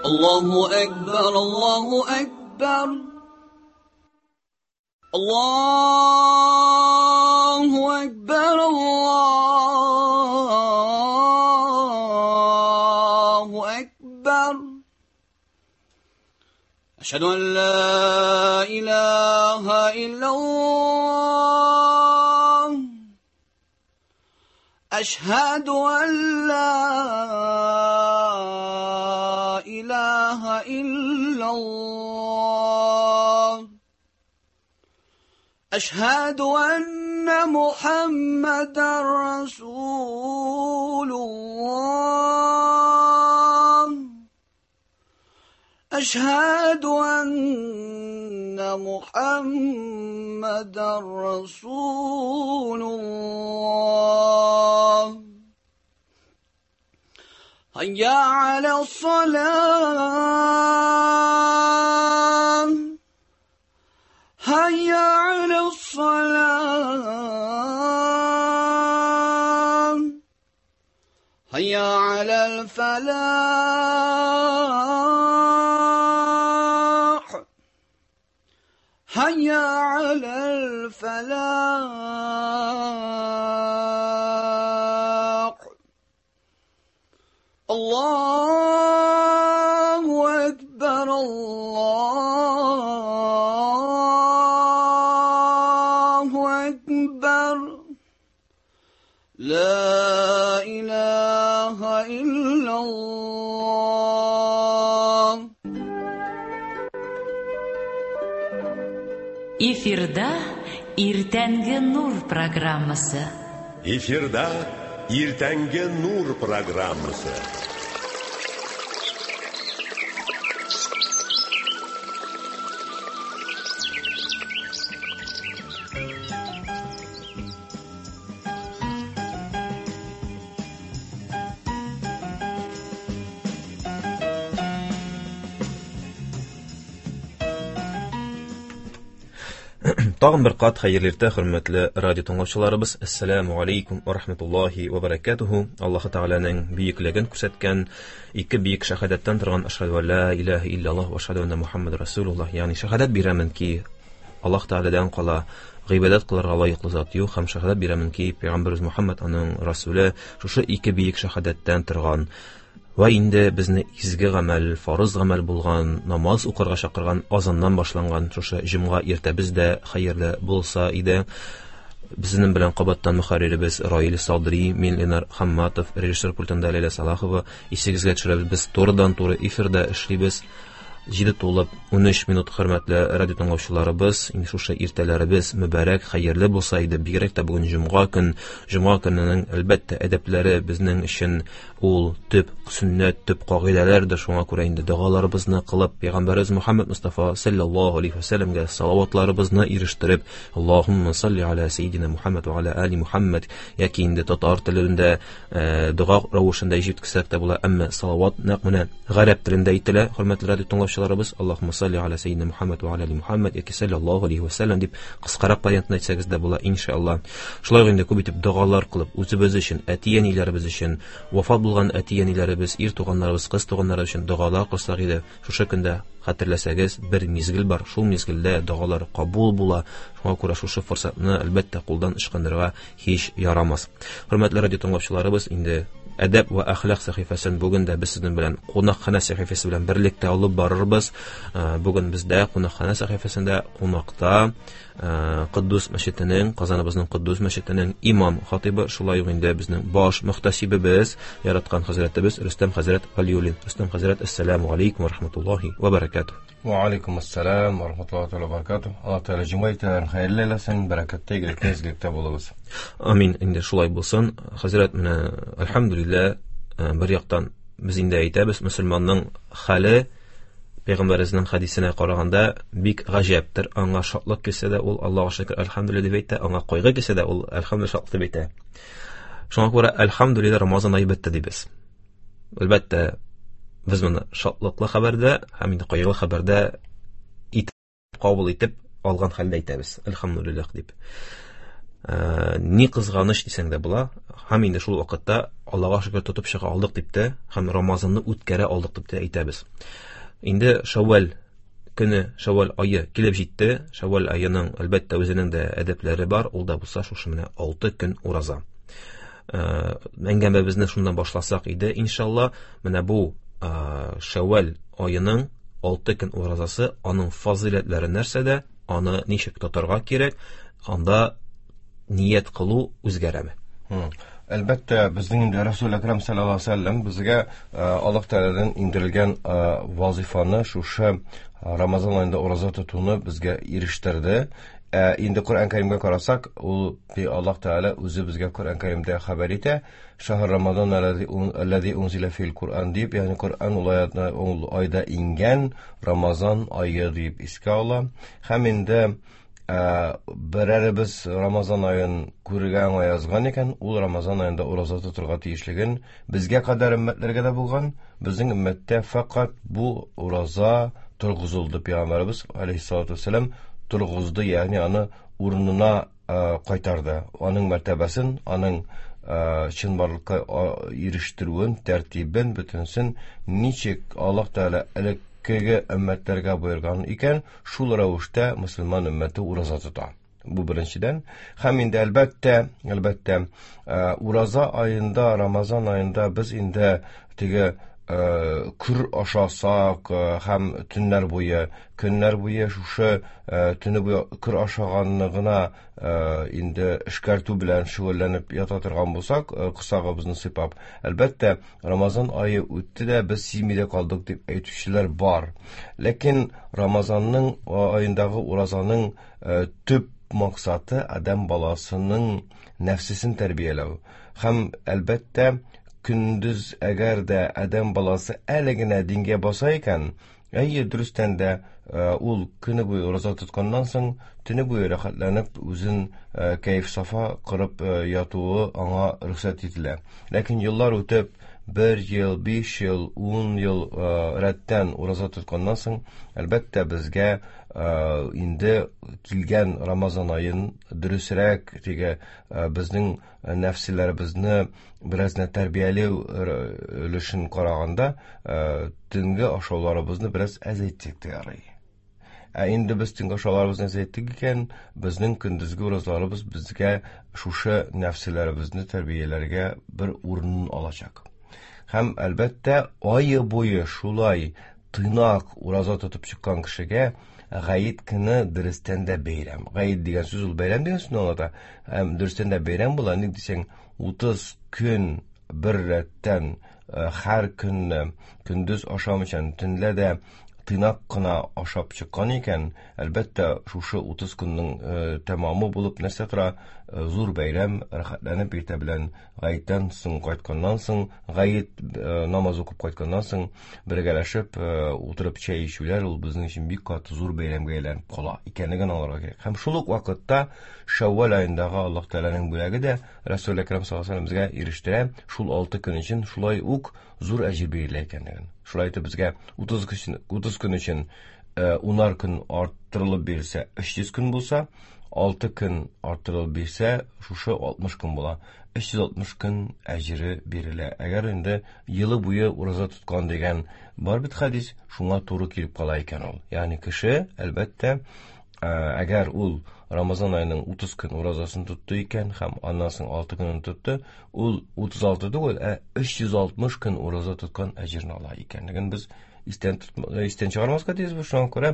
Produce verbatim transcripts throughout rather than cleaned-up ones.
الله أكبر الله أكبر الله أكبر الله أكبر أشهد أن لا إله إلا الله أشهد أن لا إله إلا الله أشهد أن محمدا رسول الله أشهد أن محمدا رسول الله هيا على الصلاة هيا على الصلاة هيا على الفلاح هيا على الفلاح الله أكبر الله أكبر لا إله إلا الله. Эфирда Иртәнге Нур программасы. Эфирда Иртәнге Нур программасы. Тагын бер кат хәерле иртә, хөрмәтле радио тыңлаучыларыбыз. Ассаламу алейкум ва рахматуллахи ва баракатуху. Аллаһ Тәгаләнең бөеклеген күрсәткән ике бөек шәһадәттән торган ашһаду ла илаһа илляллаһ ва ашһаду анна Мухаммад расулуллаһ, ягъни шәһадәт бирәмен ки Аллаһ Тәгаләдән кала гыйбадәт кылырга лаеклы зат юк, һәм шәһадәт бирәмен ки пәйгамбәребез Мухаммад аның расулы. Шушы ике бөек шәһадәттән торган Вә инде безне изге гамәл, фарыз гамәл булган намаз укырга чакырган азаннан башланган шушы җомга иртәбез дә хәерле булса иде. Безнең белән кабаттан мөхәрриребез Раил Садри, мин Ленар Хамматов, режиссер пультында Ләйлә Салахова. Исегезгә төшерәбез, без турыдан-туры эфирда эшлибез. Җиде тулып унөч минут, хөрмәтле радио тыңлаучыларыбыз, инде шушы иртәләребез мөбарәк, хәерле булса иде. Бигрәк тә бүген җомга көн, җомга көненең әлбәттә әдәпләре безнең өчен ул төп сөннәт, төп кагыйдәләрдер. Шуңа күрә инде догаларыбызны кылып, пәйгамбәребез Мухаммад Мустафа саллаллаһу алейхи ва сәлләмгә салаватларыбызны ирештереп, Аллаһумма салли аля саййидина Мухаммад ва аля али Мухаммад, яки инде татар телендә дога рәвешендә җиткерсәк тә була, әмма салават нәкъ менә гарәп телендә әйтелә, хөрмәтле радио тыңлаучыларыбыз. Аллаһумма салли аля саййидина Мухаммад ва аля али Мухаммад яки саллаллаһу алейхи ва сәлләм дип кыскарак вариантын әйтсәгез дә була, иншалла. Шулай инде күп итеп догалар кылып, үзебез өчен, әти-әниләребез өчен, вафат булган әти-әниләребез, ир туганнарыбыз, кыз туганнарыбыз өчен догалар кылсак иде. Шушы көндә хәтерләсәгез, бер мизгел бар, шул мизгелдә догалар кабул була. Шуңа күрә шушы форсатны әлбәттә кулдан ычкындырырга һич ярамас. Хөрмәтле радио тыңлаучыларыбыз, инде әдәп ва әхлак сәхифәсен бүген дә без сезнең белән кунакханә сәхифәсе белән берлектә алып барырбыз. Бүген бездә кунакханә сәхифәсендә кунакта Куддус мәчетенең, Казаныбызның Куддус мәчетенең имам хатибы, шулай ук инде безнең баш мөхтәсибебез, яраткан хәзрәтебез Рөстәм хәзрәт Вәлиуллин. Рөстәм хәзрәт, ассаламу алейкум ва рахматуллахи ва баракатуһ. Ва алейкум ассалам ва рахматуллахи ва баракатуһ. Аллаһ Тәгалә җомга иртәләрен хәерле әйләсен, бәрәкәттә, игелекле, изгелектә булыгыз. Амин. Инде шулай булсын. Хәзрәт, менә әлхәмдүлилләһ, бер яктан без инде әйтәбез, мөселманның хәле Пәйгамбәребезнең хәдисенә караганда бик гаҗәптер. Аңа шатлык килсә дә ул Аллаһуга шөкер, әлхәмдүлилләһ дип әйтә, аңа кайгы килсә дә ул әлхәмдүлилләһ шатлык дип әйтә. Шуңа күрә әлхәмдүлилләһ Рамазан ае бетте дибез. Әлбәттә, без моны шатлыклы хәбәрдә һәм инде кайгылы хәбәрдә итеп кабул итеп алган хәлдә әйтәбез, әлхәмдүлилләһ дип. Ни кызганыч дисәң дә була. Һәм инде шул вакытта Аллага шөкер тотып чыга алдык дип тә, һәм Рамазанны үткәрә алдык дип тә әйтәбез. Инде Шәүвәл көне, Шәүвәл ае килеп җитте. Шәүвәл аеның әлбәттә үзенең дә әдәпләре бар. Ул да булса шушы менә алты көн ураза. Әңгәмәбезне шуннан башласак иде, иншалла, менә бу Шәүвәл аеның алты көн уразасы, аның фазыйләтләре нәрсәдә, аны ничек тотарга кирәк, анда ният кылу үзгәрәме? Әлбәттә, безнең инде Расул Әкрәм саллаллаһу алейһи ва сәлләм безгә Аллаһ Тәгаләдән иңдерелгән вазифаны, шушы Рамазан аенда ураза тотуны безгә ирештерде. Инде Коръән Кәримгә карасак, ул Аллаһ Тәгалә үзе безгә Коръән Кәримдә хәбәр итә. Шаһр Рамазан аллази унзила фил Коръән дип, ягъни Коръән ул аятны ул айда иңгән Рамазан ае дип искә ала. Һәм инде берәребез Рамазан аен күрергә аңа язган икән, ул Рамазан аенда ураза тотырга тиешлеген безгә кадәр өммәтләргә дә булган, безнең өммәттә фәкать бу ураза торгызылды. Пәйгамбәребез алейһиссалату вассалам торгызды, ягъни аны урынына кайтарды. Аның мәртәбәсен, аның чынбарлыкка ирештерүен, тәртибен, бөтенсен ничек Аллаһ Тәгалә элеккеге өммәтләргә боерган икән, шул рәвештә мөселман өммәте ураза тота. Бу беренчедән. Һәм инде әлбәттә, әлбәттә, ураза аенда, Рамазан аенда без инде теге күр ашасак һәм төннәр буе, көннәр буе шушы төне буе күр ашаганны гына инде эшкәртү белән шөгыльләнеп ята торган булсак, корсагыбызны сыйпап, әлбәттә, Рамазан ае үтте дә без сизми дә калдык дип әйтүчеләр бар. Ләкин Рамазанның аендагы уразаның төп максаты адәм баласының нәфсесен тәрбияләү. Һәм әлбәттә, көндез әгәр дә адәм баласы әле генә дингә баса икән, әйе, дөрестән дә ул көне буе ураза тотканнан соң төне буе рәхәтләнеп үзен кәеф-сафа корып ятуы аңа рөхсәт ителә. Ләкин еллар үтеп, бер ел, биш ел, ун ел рәттән ураза тотканнан соң, әлбәттә, безгә инде килгән Рамазан аен дөресрәк теге безнең нәфселәребезне бераз гына тәрбияләү өлешен караганда төнге ашауларыбызны бераз әзәйтсәк тә ярый. Ә инде без төнге ашауларыбызны әзәйттек икән, безнең көндезге уразаларыбыз безгә шушы нәфселәребезне тәрбияләргә бер урын алачак. Һәм әлбәттә, ае буе шулай тыйнак ураза тотып чыккан кешегә Гаит көне дөрестән дә бәйрәм. Гаит дигән сүз ул бәйрәм дигән сүзне аңлата. Һәм дөрестән дә бәйрәм була. Ник дисәң, утыз көн бер рәттән һәр көнне көндез ашамыйча, төнлә дә тыйнак кына ашап чыккан икән, әлбәттә, шушы утыз көннең тәмамы булып нәрсә тора? Зур бәйрәм, рәхәтләнеп иртә белән гаеттән соң кайтканнан соң, гаит намаз укып кайтканнан соң бергәләшеп утырып чәй эчүләр ул безнең өчен бик каты зур бәйрәмгә әйләнеп кала икәнлеген аңларга кирәк. Һәм шул ук вакытта Шәүвәл аендагы Аллаһ Тәгаләнең бүләге дә Расул Әкрәм саллаллаһу алейһи ва сәлләм безгә ирештерә, шул алты көн өчен шулай ук зур әҗер бирелә икәнлеген. Шулай итеп безгә утыз көн, утыз көн өчен унар көн арттырылып бирелсә, өч йөз көн булса, алты көн арттырылып бирсә, шушы алтмыш көн була. Өч йөз алтмыш көн әҗере бирелә. Әгәр инде елы буе ураза тоткан дигән бар бит хәдис, шуңа туры килеп кала икән ул. Ягъни кеше, әлбәттә, әгәр ул Рамазан аеның утыз көн уразасын тотты икән һәм аннан соң алты көнен тотты, ул утыз алты түгел, ә өч йөз алтмыш көн ураза тоткан әҗерне ала икәнлеген без истән истән чыгармаска тиешбез. Шуңа күрә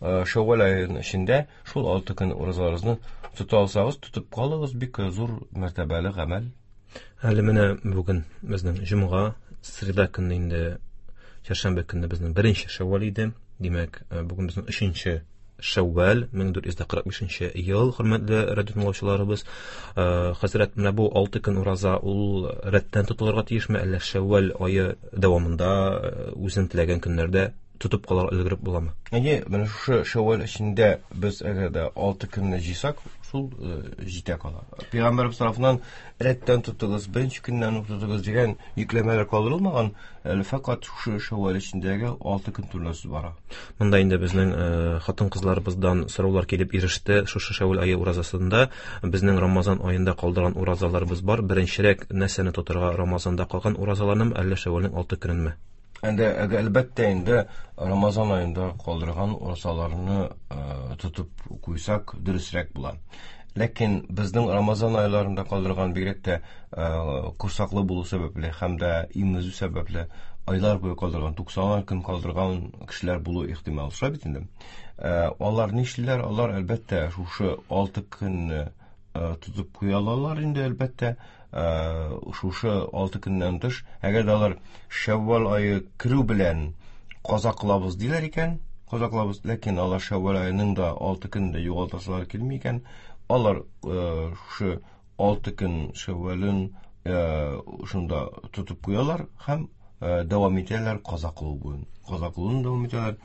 Шәүвәл аеның эчендә шул алты көн уразаларыгызны тота алсагыз, тотып калыгыз, бик зур мәртәбәле гамәл. Әле менә бүген безнең җомга, среда көнне инде чәршәмбе көнне безнең беренче Шәүвәл иде. Димәк, бүген безнең өченче Шәүвәл, мең дүрт йөз кырык бишенче ел, хөрмәтле радио тыңлаучыларыбыз. Хәзрәт, менә бу алты көн ураза ул рәттән тотылырга тиешме, әллә Шәүвәл ае дәвамында үзең теләгән көннәрдә тотып калырга өлгереп буламы? Әйе, менә шушы Шәүвәл эчендә без әгәр дә алты көнне җыйсак, шул җитә кала. Пәйгамбәребез тарафыннан рәттән тотыгыз, беренче көннән үк тотыгыз дигән йөкләмәләр калдырылмаган, әле фәкать шушы Шәүвәл эчендәге алты көн турында сүз бара. Монда инде безнең хатын-кызларыбыздан сораулар килеп иреште. Шушы Шәүвәл ае уразасында безнең Рамазан аенда калдырган уразаларыбыз бар. Беренчерәк нәрсәне тотырга, Рамазанда калган уразаларнымы, әллә Шәүвәлнең алты көненме? Инде әлбәттә инде Рамазан аенда калдырган уразаларны тотып куйсак дөресрәк була. Ләкин безнең Рамазан айларында калдырган бигрәк тә корсаклы булу сәбәпле һәм дә имезү сәбәпле айлар буе калдырган, туксан көн калдырган кешеләр булу ихтимал. Шулай бит инде. Алар нишлиләр? Алар әлбәттә шушы алты көнне тотып куя алалар инде, әлбәттә. Шушы алты көннән тыш, әгәр дә алар Шәүвәл ае керү белән каза кылабыз диләр икән, каза кылабыз, ләкин алар Шәүвәл аеның да алты көнендә югалтасылар килми икән, алар шушы алты көн Шәүвәлен шунда тотып куялар һәм дәвам итәләр каза кылу буен. Каза кылуын дәвам итәләр.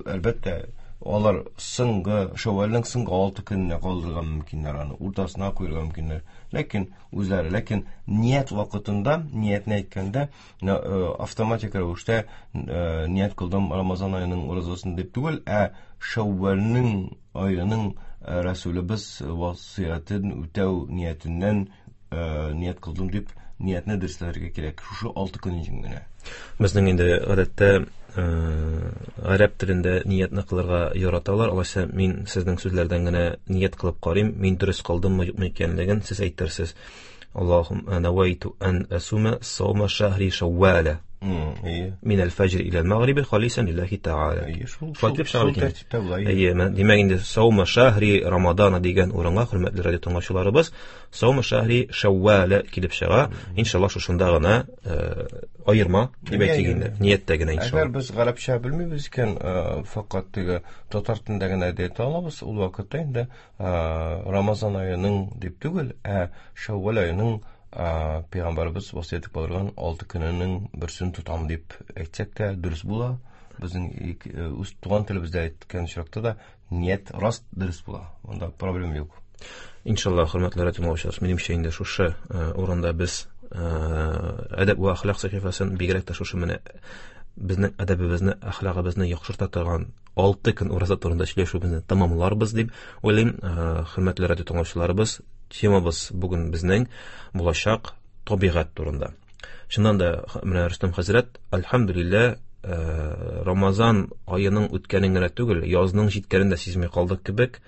Әлбәттә, алар соңгы Шәүвәлнең соңгы алты көненә калдырырга мөмкиннәр, аны уртасына куярга мөмкиннәр. Ләкин үзләре, ләкин ният вакытында, ниятне әйткәндә, автоматик рәвештә ният кылдым Рамазан аеның уразасын дип түгел, ә Шәүвәлнең аеның Рәсүлебез васыятен үтәү ниятеннән ният кылдым дип ниятне дөресләргә кирәк. Шушы алты көн өчен генә. Безнең инде гадәттә гарәп телендә ниятне кылырга яраталар. Алайса мин сезнең сүзләрдән генә ният кылып карыйм, мин дөрес кылдыммы, юкмы икәнлеген сез әйтерсез. Аллаһумма навайту ан асума саума шахри шавваля. Мин аль-фаҗр ила аль-магриби халисан лиллахи тааля. Шул тәртиптә була. Әйе, димәк инде саума шахри Рамадана дигән урынга, хөрмәтле радио тыңлаучыларыбыз, саума шахри шавваля килеп чыга. Иншаллаһ шушында гына аерма дип әйтик инде, нияттә генә иншаллаһ. Әгәр без гарәпчә белмибез икән, фәкать теге татар телендә генә әйтә алабыз, ул вакытта инде Рамазан аеның дип түгел, ә Шәүвәл аеның Пәйгамбәребез васыять итеп калдырган алты көненең берсен тотам дип әйтсәк тә дөрес була. Безнең үз туган телебездә әйткән очракта да ният раст дөрес була. Монда проблема юк. Иншаллаһ, хөрмәтле радио тыңлаучылар, минемчә инде шушы урында без әдәп вә әхлак сәхифәсен бигрәк тә шушы менә безнең әдәбебезне, әхлагыбызны яхшырта торган алты көн ураза турында сөйләшүебезне тәмамларбыз дип уйлыйм. Хөрмәтле радио тыңлаучыларыбыз, темабыз бүген безнең булачак табигать турында. Чыннан да менә Рөстәм хәзрәт, альхамдулилла, Рамазан аеның үткәнен генә түгел, язның җиткәнен дә сизми калдык кебек.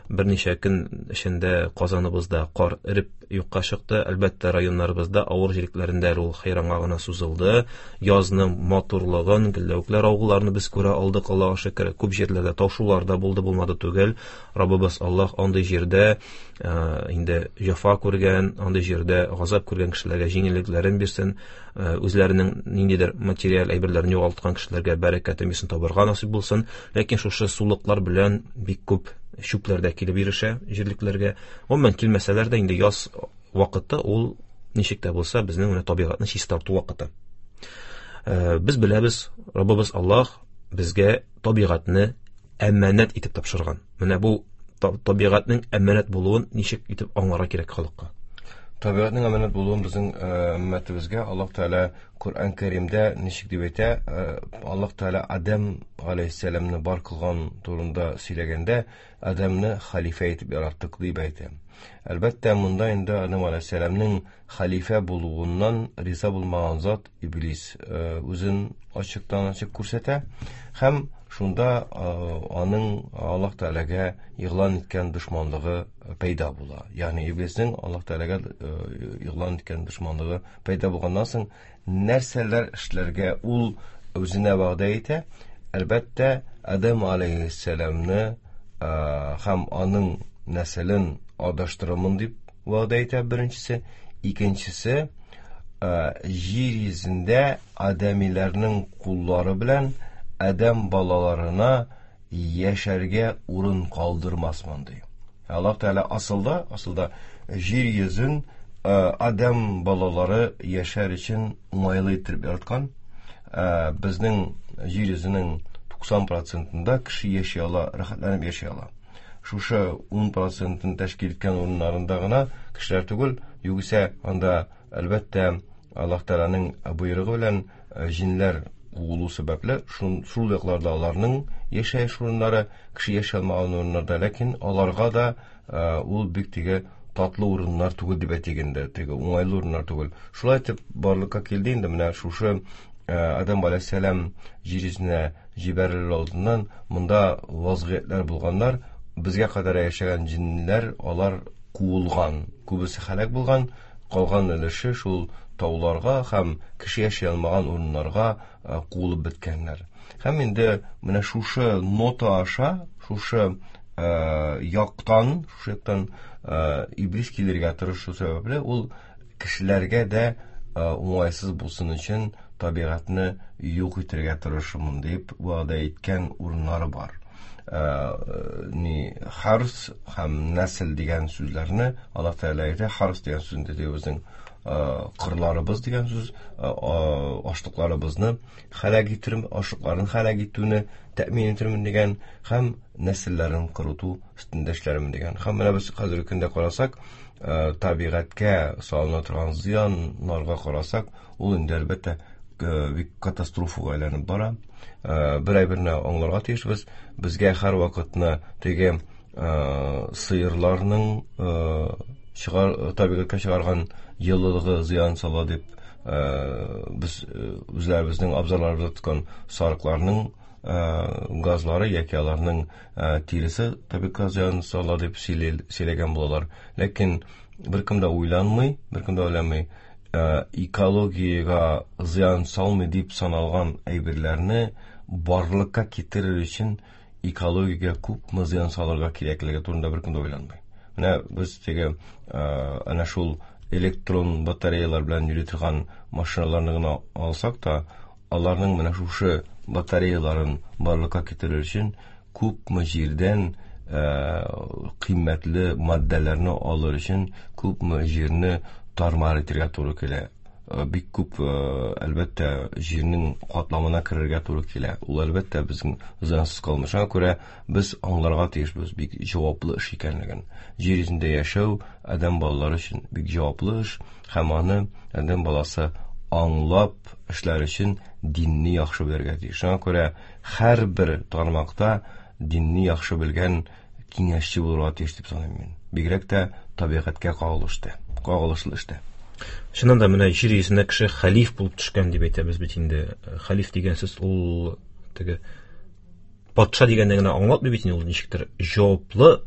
Берничә көн эчендә Казаныбызда кар эреп юкка чыкты. Әлбәттә, районнарыбызда авыр җирлекләрендә ул хәйранга гына сузылды. Язның матурлыгын, гөлләүкләр авылларны без күрә алдык, Аллаһка шөкер. Күп җирләрдә таушулар да булды, булмады түгел. Раббыбыз Аллаһ андый җирдә инде җәфа күргән, андый җирдә газап күргән кешеләргә җиңеллекләрен бирсен, үзләренең ниндидер материаль әйберләрен югалткан кешеләргә бәрәкәтен бирсен, табырга насыйп булсын. Ләкин шушы сулыклар белән бик күп чүпләр дә килеп ирешә җирлекләргә. Гомумән килмәсәләр дә инде яз вакыты ул ничек тә булса безнең менә табигатьне чистарту вакыты. Без беләбез, Раббыбыз Аллаһ безгә табигатьне әманәт итеп тапшырган. Менә бу табигатьнең әманәт булуын ничек итеп аңларга кирәк халыкка? Табигатьнең әманәт булуын безнең өммәтебезгә Аллаһ Тәгалә Коръән Кәримдә ничек дип әйтә? Аллаһ Тәгалә Адәм галәйһиссәламне бар кылган турында сөйләгәндә, Адәмне хәлифә итеп яраттык дип әйтә. Әлбәттә, монда инде Адәм галәйһиссәламнең хәлифә булуыннан риза булмаган зат Иблис үзен ачыктан-ачык күрсәтә һәм шунда аның Аллаһ Тәгаләгә игълан иткән дошманлыгы пәйда була. Ягъни Иблиснең Аллаһ Тәгаләгә игълан иткән дошманлыгы пәйда булганнан соң нәрсәләр эшләргә ул үзенә вәгъдә итә? Әлбәттә, Адәм алейһиссәламны һәм аның нәселен адаштырырмын дип вәгъдә итә беренчесе. Икенчесе, җир йөзендә адәмиләрнең куллары белән адәм балаларына яшәргә урын калдырмасмын ди. Аллаһ Тәгалә асылда, асылда җир йөзен адәм балалары яшәр өчен уңайлы итеп яраткан. Безнең җир йөзенең туксан процентында кеше яши ала, рәхәтләнеп яши ала. Шушы ун процентын тәшкил иткән урыннарында гына кешеләр түгел, югыйсә анда әлбәттә Аллаһ Тәгаләнең боерыгы белән җиннәр куылу сәбәпле шул якларда аларның яшәеш урыннары, кеше яши алмаган урыннарда, ләкин аларга да ул бик теге татлы урыннар түгел дип әйтик инде, теге уңайлы урыннар түгел. Шулай итеп барлыкка килде инде менә шушы Адам алейһиссәлам җир йөзенә җибәрелер алдыннан монда вазгыятьләр булганнар, безгә кадәр яшәгән җиннәр алар куылган, күбесе һәлак булган, калган өлеше шул тауларга һәм кеше яши алмаган урыннарга куылып беткәннәр. Һәм инде менә шушы нота аша, шушы яктан, шушы яктан иблис килергә тырышу сәбәпле ул кешеләргә дә уңайсыз булсын өчен табигатьне юк итәргә тырышырмын дип вәгъдә иткән урыннары бар. Ни харс һәм нәсел дигән сүзләрне Аллаһ Тәгалә әйтә. Харс дигән сүз инде безнең кырларыбыз дигән сүз, ашлыкларыбызны һәлак итермен, ашлыкларын һәлак итүне тәэмин итермен дигән һәм нәселләрен корыту өстендә эшләрмен дигән. Һәм менә без хәзерге көндә карасак, табигатькә салына торган зыяннарга карасак, ул инде әлбәттә бик катастрофага әйләнеп бара. Бер әйберне аңларга тиешбез. Безгә һәр вакытны теге сыерларның чыгар, табигатькә чыгарган еллыгы зыян сала дип, без үзләребезнең абзарларыбызда тоткан сарыкларның газлары яки аларның тиресе табигатькә зыян сала дип сөйләгән булалар. Ләкин беркем дә уйланмый, беркем дә уйламый, экологиягә зыян салмый дип саналган әйберләрне барлыкка китерер өчен экологиягә күпме зыян салырга кирәклеге турында беркем дә уйланмый. Менә без теге әнә шул электрон батареялар белән йөри торган машиналарны гына алсак та, аларның менә шушы батареяларын барлыкка китерер өчен күпме җирдән кыйммәтле матдәләрне алыр өчен күпме җирне тармар итәргә туры килә. Бик күп әлбәттә җирнең катламына керергә туры килә. Ул әлбәттә безнең зыянсыз калмый. Шуңа күрә без аңларга тиешбез бик җаваплы эш икәнлеген. Җир йөзендә яшәү адәм балалары өчен бик җаваплы эш һәм аны адәм баласы аңлап эшләр өчен динне яхшы белергә тиеш. Шуңа күрә һәрбер тармакта динне яхшы белгән киңәшче булырга тиеш дип саныйм мин. Бигрәк тә табигатькә кагылышлы, кагылышлы эштә. Чыннан да менә җир йөзенә кеше хәлиф булып төшкән дип әйтәбез бит инде. Хәлиф дигән сүз ул теге патша дигәнне генә аңлатмый бит инде, ул ничектер җаваплы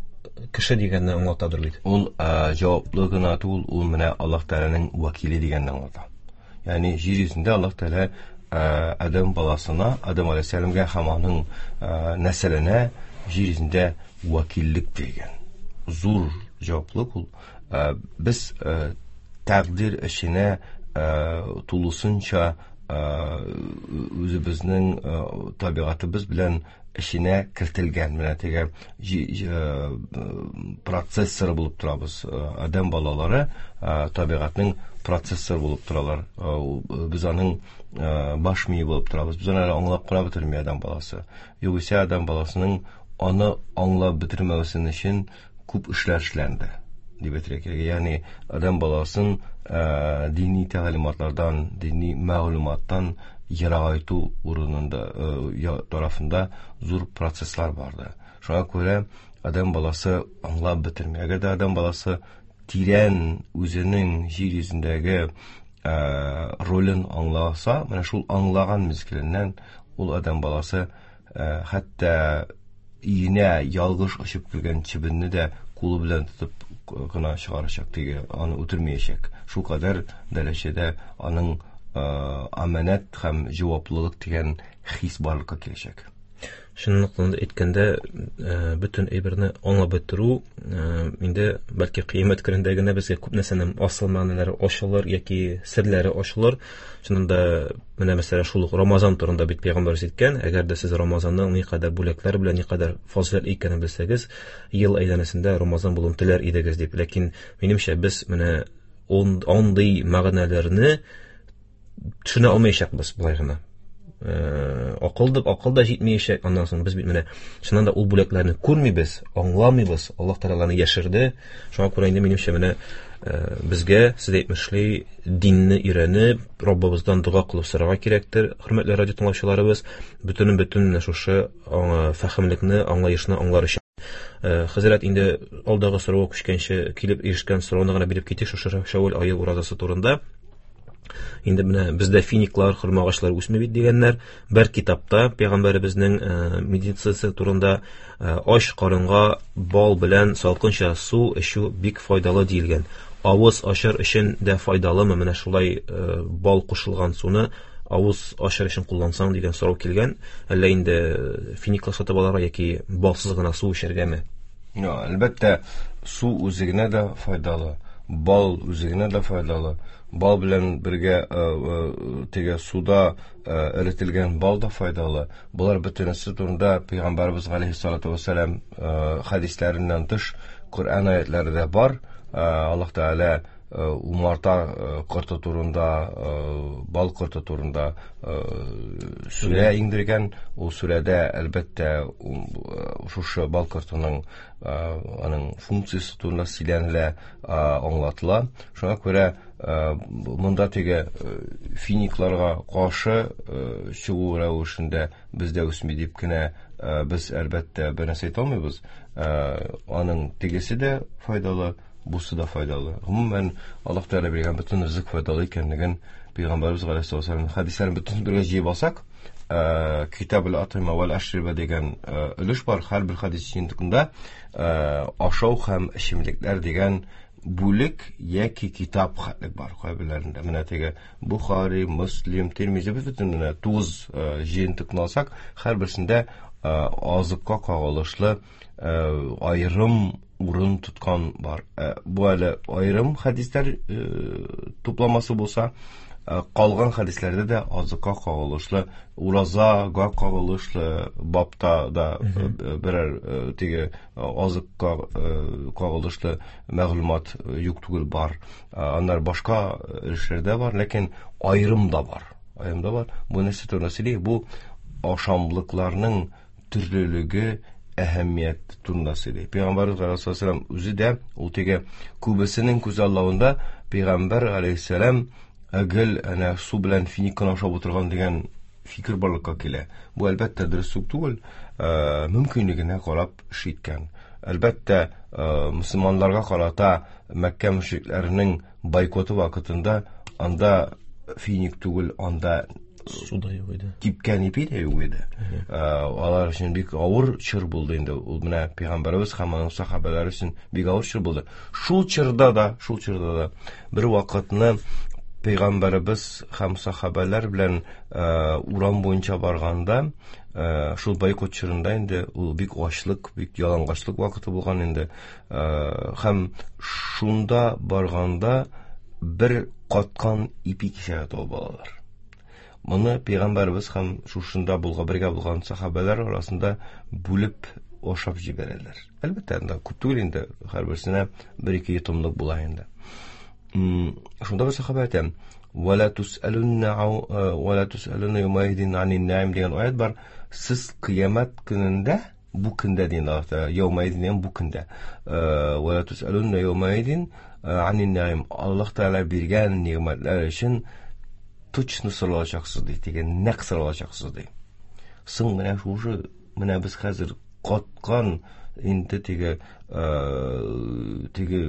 кеше дигәнне аңлатадыр бит. Ул җаваплы гына түгел, ул менә Аллаһ Тәгаләнең вәкиле дигәнне аңлата. Ягъни җир йөзендә Аллаһ Тәгалә Адәм баласына, Адәм алейһиссәламгә һәм аның нәселенә җир йөзендә вәкиллек биргән. Зур җаваплылык ул. Без тәкъдир эшенә тулысынча үзебезнең табигатыбыз белән эшенә кертелгән менә теге процессор булып торабыз. Адәм балалары табигатьнең процессор булып торалар. Без аның баш мие булып торабыз. Без аны аңлап кына бетерми адәм баласы. Югыйсә адәм баласының аны аңлап бетермәвесен өчен күп эшләр эшләнде дип әйтергә кирәк. Ягъни адәм баласын дини тәгълиматлардан, дини мәгълүматтан ерагайту урынында тарафында зур процесслар барды. Шуңа күрә адәм баласы аңлап бетерми. Әгәр дә адәм баласы тирән үзенең җир йөзендәге ролен аңласа, менә шул аңлаган мизгеленнән ул адәм баласы хәтта өенә ялгыш очып кергән чебенне дә кулы белән тотып гына чыгарачак, теге аны үтермәячәк. Шул кадәр дәрәҗәдә аның аманат һәм җаваплылык дигән хис барлыкка киләчәк. Чынлыкта әйткәндә, бөтен әйберне аңлап бетерү инде бәлки кыямәт көнендә генә безгә күп нәрсәнең асыл мәгънәләре ачылыр яки серләре ачылыр. Чыннан да менә мәсәлән шул ук Рамазан турында бит пәйгамбәребез әйткән, әгәр дә сез Рамазанның никадәр бүләкләр белән никадәр фазыйләт икәнен белсәгез, ел әйләнәсендә Рамазан булуын теләр идегез дип. Ләкин минемчә без менә андый мәгънәләрне төшенә алмаячакбыз болай гына. Акыл да, акыл да җитмәячәк. Аннан соң без бит менә чыннан да ул бүләкләрне күрмибез, аңламыйбыз. Аллаһ Тәгалә аларны яшерде. Шуңа күрә инде минемчә менә безгә, сез әйтмешли, динне өйрәнеп, Раббыбыздан дога кылып сорарга кирәктер. Хөрмәтле радио тыңлаучыларыбыз, бөтенен бөтен менә шушы фәһемлекне, аңлаешны аңлар өчен. Хәзрәт, инде алдагы сорауга күчкәнче килеп ирешкән сорауны гына биреп китик шушы Шәввәл ае уразасы турында. Инде менә бездә финиклар, хөрмә агачлары үсми бит дигәннәр. Бер китапта пәйгамбәребезнең медицинасы турында ач карынга бал белән салкынча су эчү бик файдалы диелгән. Авыз ачар өчен дә файдалымы менә шулай бал кушылган суны авыз ачар өчен куллансаң дигән сорау килгән. Әллә инде финиклар сатып алырга яки балсыз гына су эчәргәме? Әлбәттә, су үзе генә дә файдалы, бал үзе генә дә файдалы. Бал белән бергә теге суда эретелгән бал да файдалы. Булар бөтенесе турында Пәйгамбәребез галәйһиссалату вәссәлам хәдисләреннән тыш Коръән аятлары да бар. Аллаһ Тәгалә умарта корты турында, бал корты турында сүрә иңдергән. Ул сүрәдә әлбәттә шушы бал кортының аның функциясе турында сөйләнелә, аңлатыла. Шуңа күрә монда теге финикларга каршы чыгу рәвешендә бездә үсми дип кенә без әлбәттә бер нәрсә әйтә алмыйбыз. Аның тегесе дә файдалы, бусы да файдалы. Гомумән, Аллаһ Тәгалә биргән бөтен ризык файдалы икәнлеген Пәйгамбәребез галәйһиссалату вәссәлам хәдисләрен бөтен бергә җыеп алсак, Китабул атыйма вәл ашриба дигән өлеш бар. Һәрбер хәдис җыентыгында ашау һәм эчемлекләр дигән бүлек яки китап хәтлек бар кайберләрендә. Менә теге Бухари, Муслим, Тирмизи бөтен менә тугыз җыентыкны алсак, һәрберсендә азыкка кагылышлы аерым урын тоткан бар. Бу әле аерым хәдисләр тупламасы булса, калган хәдисләрдә дә азыкка кагылышлы, уразага кагылышлы бабта да берәр теге азыкка кагылышлы мәгълүмат юк түгел бар. Аннар башка өлешләрдә бар, ләкин аерым да бар. Аерым да бар. Бу нәрсә турында сөйли? Бу ашамлыкларның төрлелеге әһәмият турында сөйли. Пәйгамбәребез галәйһиссәлам үзе дә ул теге күбесенең күз алдында Пәйгамбәр галәйһиссәлам гел әнә су белән финик кына ашап утырган дигән фикер барлыкка килә. Бу әлбәттә дөрес түгел, мөмкинлегенә карап эш иткән. Әлбәттә, мөселманнарга карата Мәккә мөшрикләренең бойкоты вакытында анда финик түгел, анда су да юк иде. Кипкән ипи дә юк иде. Алар өчен бик авыр чор булды инде. Ул менә Пәйгамбәребез һәм аның сахабәләре өчен бик авыр чор булды. Шул чорда да, шул чорда да бер вакытны Пәйгамбәребез һәм сахабәләр белән урам буенча барганда, шул бойкот чорында инде ул бик ачлык, бик ялангачлык вакыты булган инде. Һәм шунда барганда бер каткан ипи кисәге табып алалар. Моны Пәйгамбәребез һәм шушында булган, бергә булган сахабәләр арасында бүлеп ашап җибәрәләр. Әлбәттә, анда күп түгел инде, һәрберсенә бер-ике йотымлык була инде. Шунда бер сахабә әйтә: "Ва ла тусалунна ва ла тусалунна яумаидин анин наим" дигән аят бар. Сез кыямәт көнендә, бу көндә дигән Аллаһ Тәгалә, яумаидин дигән бу көндә. Ва ла тусалунна яумаидин анин наим. Аллаһ Тәгалә биргән нигъмәтләр өчен точно соралачаксыз ди, дигән нәкъ соралачаксыз ди. Соң менә шушы, менә без хәзер каткан инде теге, теге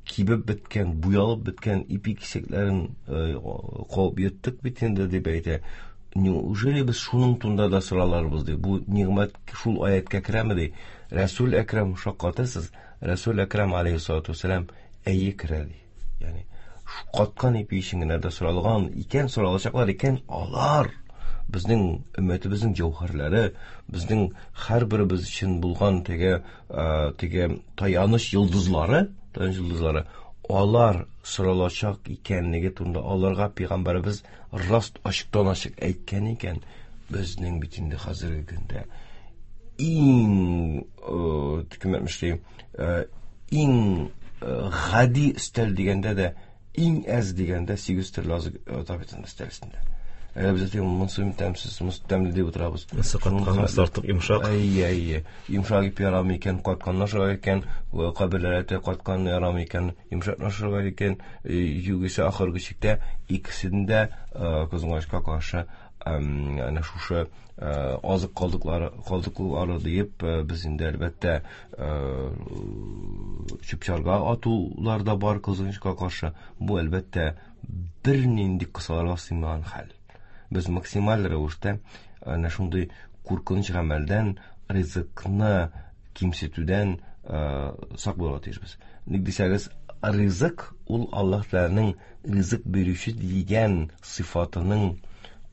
кибеп беткән, буялып беткән ипи кисәкләрен кабып йоттык бит инде дип әйтә. Неужели без шуның турында да сораларбыз ди? Бу нигъмәт шул аяткә керәме ди? Рәсүл Әкрәм шаккатасыз, Рәсүл Әкрәм алейһиссалату вәссәлам әйе керә ди. Ягъни каткан ипи өчен генә дә соралган икән, соралачаклар икән, алар безнең өммәтебезнең җәүһәрләре, безнең һәрберебез өчен булган теге, теге таяныч йолдызлары, таяныч йолдызлары, алар соралачак икәнлеге турында аларга Пәйгамбәребез раст ачыктан ачык әйткән икән, безнең бит инде хәзерге көндә иң, кем әйтмешли, иң гади өстәл дигәндә дә, иң әз дигәндә сигез төрле азык ята бит инде өстәл өстендә. Әгәр без әйтик, монысы тәмсез, монысы тәмле дип утырабыз. Монысы каткан, монысы артык йомшак. Әйе, әйе. Йомшак ипи ярамый икән, катканны ашарга икән, кайберләре әйтә, катканны ярамый икән, йомшакны ашарга икән. Югыйсә ахыргы чиктә икесен дә кызганычка каршы әнә шушы азык калдыклары, калдыклары диеп без инде әлбәттә чүп-чарга атулар да бар кызганычка каршы. Бу әлбәттә бернинди кысаларга сыймаган хәл. Без максималь рәвештә әнә шундый куркыныч гамәлдән, ризыкны кимсетүдән сак булырга тиешбез. Ник дисәгез, ризык ул Аллаһ Тәгаләнең ризык бирүче дигән сыйфатының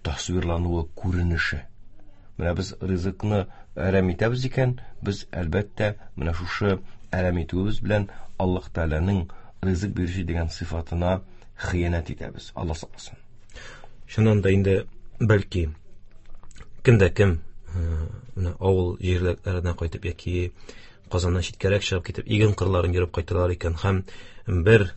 тасвирлануы, күренеше. Менә без ризыкны әрәм итәбез икән, без әлбәттә менә шушы әрәм итүебез белән Аллаһ Тәгаләнең ризык бирүче дигән сыйфатына хыянәт итәбез. Аллаһ сакласын. Чыннан да инде бәлки кем дә кем, менә авыл җирлекләренә кайтып яки Казаннан читкәрәк чыгып китеп иген кырларын йөреп кайталар икән һәм бер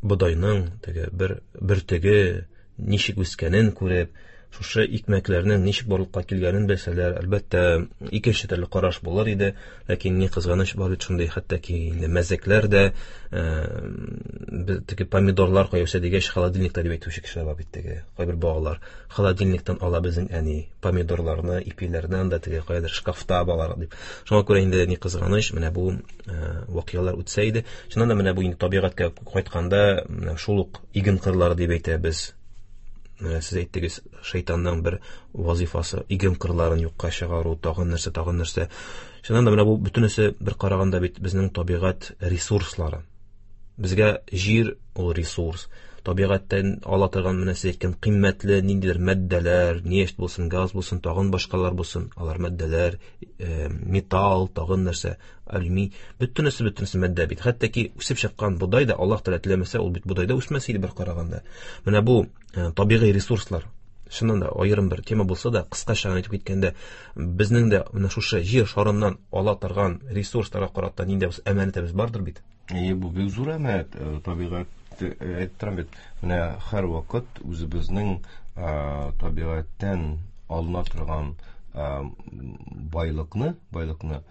бодайның теге бер бөртеге ничек үскәнен күреп, шушы икмәкләрнең ничек барлыкка килгәнен белсәләр, әлбәттә, икенче төрле караш булыр иде. Ләкин ни кызганыч, бар бит шундый хәтта ки инде мәзәкләр дә, теге помидорлар кая үсә дигәч, холодильникта дип әйтүче кешеләр бар бит теге. Кайбер балалар холодильниктан ала безнең әни помидорларны, ипиләрне анда теге каядыр шкафта балалар дип. Шуңа күрә инде ни кызганыч, менә бу вакыялар үтсә иде. Чыннан да менә бу инде табигатькә кайтканда, менә шул ук иген кырлары дип әйтәбез. Менә сез әйттегез, шайтанның бер вазифасы иген кырларын юкка чыгару, тагын нәрсә, тагын нәрсә. Чыннан да менә бу бөтенесе бер караганда бит безнең табигать ресурслары. Безгә җир ул ресурс. Табигатьтән ала торган менә сез әйткән кыйммәтле ниндидер матдәләр, нефть булсын, газ булсын, тагын башкалар булсын, алар матдәләр, металл, тагын нәрсә, алюминий, бөтенесе бөтенесе матдә бит. Хәтта ки үсеп чыккан бодай да Аллаһ Тәгалә теләмәсә, ул бит бодай да үсмәс иде бер караганда. Менә бу табигый ресурслар. Чыннан да аерым бер тема булса да, кыскача гына әйтеп киткәндә, безнең дә менә шушы җир шарыннан ала торган ресурсларга карата нинди булса әманәтебез бардыр бит. Әйе, бу бик зур әманәт, табигать әйттерәм бит. Менә һәр вакыт үзебезнең табигатьтән алына торган байлыкны, байлыкны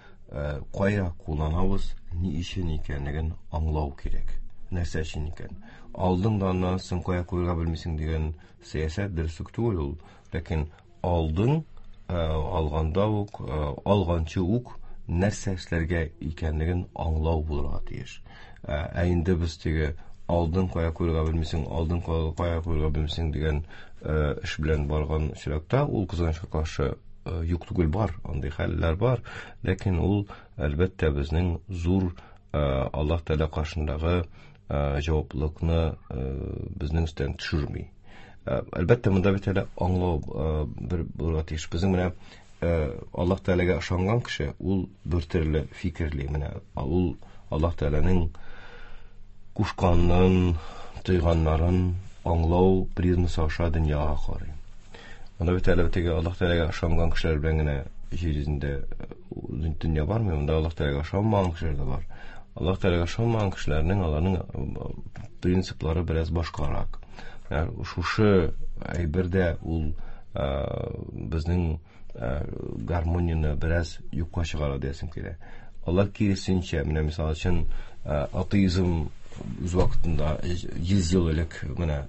кая кулланабыз, ни өчен икәнлеген аңлау кирәк. Нәрсә өчен икән? Алдың да аннан соң кая куярга белмисең дигән сәясәт дөреслек түгел ул. Ләкин алдың, алганда ук, алганчы ук нәрсә эшләргә икәнлеген аңлау булырга тиеш. Ә инде без теге алдың кая куярга белмисең, алдың кая куярга белмисең дигән эш белән барган очракта, ул кызганычка каршы юк түгел, бар, андый хәлләр бар, ләкин ул әлбәттә безнең зур Аллаһ Тәгалә каршындагы җаваплылыкны безнең өстән төшерми. Әлбәттә, монда бит әле аңлау бер булырга тиеш. Безнең менә Аллаһ Тәгаләгә ышанган кеше ул бер төрле фикерли. Менә ул Аллаһ Тәгаләнең кушканын, тыйганнарын аңлау призмасы аша дөньяга карый. Монда бит әле теге Аллаһ Тәгаләгә ышанган кешеләр белән генә җир йөзендә дөнья бармый, монда Аллаһ Тәгаләгә ышанмаган кешеләр дә бар. Аллаһ Тәгаләгә ышанмаган кешеләрнең аларның принциплары бераз башкарак. Шушы әйбердә ул безнең гармонияне бераз юкка чыгара диясем килә. Алар киресенчә, менә мисал өчен атеизм үз вакытында йөз ел элек, менә